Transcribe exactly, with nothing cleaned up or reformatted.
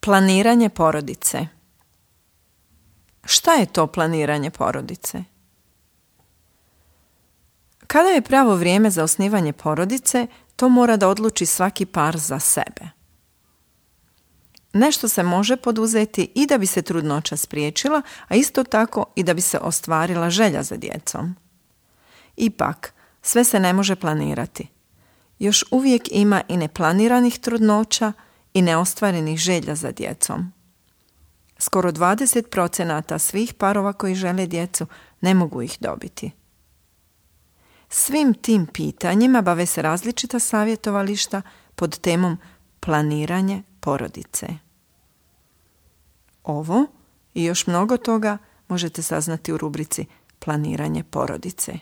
Planiranje porodice. Šta je to planiranje porodice? Kada je pravo vrijeme za osnivanje porodice, to mora da odluči svaki par za sebe. Nešto se može poduzeti i da bi se trudnoća spriječila, a isto tako i da bi se ostvarila želja za djecom. Ipak, sve se ne može planirati. Još uvijek ima i neplaniranih trudnoća i neostvarenih želja za djecom. Skoro dvadeset procenata svih parova koji žele djecu ne mogu ih dobiti. Svim tim pitanjima bave se različita savjetovališta pod temom planiranje porodice. Ovo i još mnogo toga možete saznati u rubrici Planiranje porodice.